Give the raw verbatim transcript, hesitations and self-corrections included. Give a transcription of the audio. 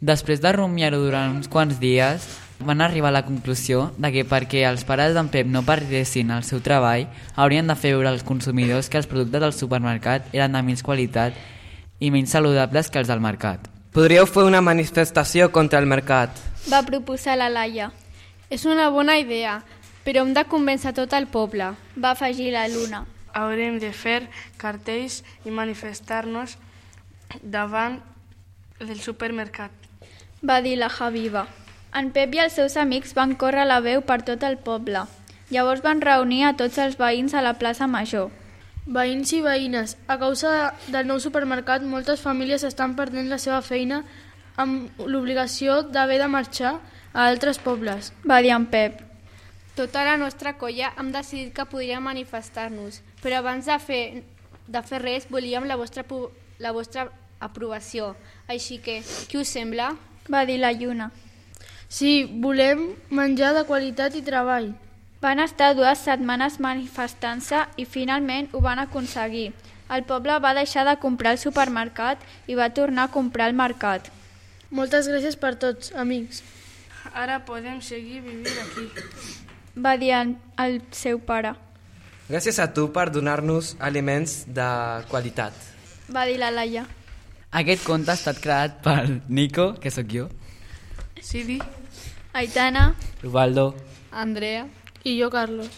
Després de rumiar-ho durant uns quants dies, van arribar a la conclusió de que perquè els pares d'en Pep no perdessin el seu treball, haurien de fer veure als consumidors que els productes del supermercat eren de menys qualitat i menys saludables que els del mercat. Podríeu fer una manifestació contra el mercat, va proposar la Laia. És una bona idea, però hem de convèncer tot el poble, va afegir la Luna. Haurem de fer cartells i manifestar-nos davant del supermercat, va dir la Javiva. En Pep i els seus amics van córrer la veu per tot el poble. Llavors van reunir a tots els veïns a la plaça Major. Veïns i veïnes, a causa del nou supermercat, moltes famílies estan perdent la seva feina amb l'obligació d'haver de marxar a altres pobles, va dir en Pep. Tota la nostra colla hem decidit que podríem manifestar-nos, però abans de fer, de fer res volíem la vostra, la vostra aprovació. Així que, què us sembla? Va dir la Lluna. Sí, volem menjar de qualitat i treball. Van estar dues setmanes manifestant-se i finalment ho van aconseguir. El poble va deixar de comprar al supermercat i va tornar a comprar al mercat. Moltes gràcies per tots, amics. Ara podem seguir vivint aquí, va dir el seu pare. Gràcies a tu per donar-nos aliments de qualitat, va dir la Laia. Aquest conte ha estat creat per Nico, que sóc jo, Sidi, Aitana, Ubaldo, Andrea i jo, Carlos.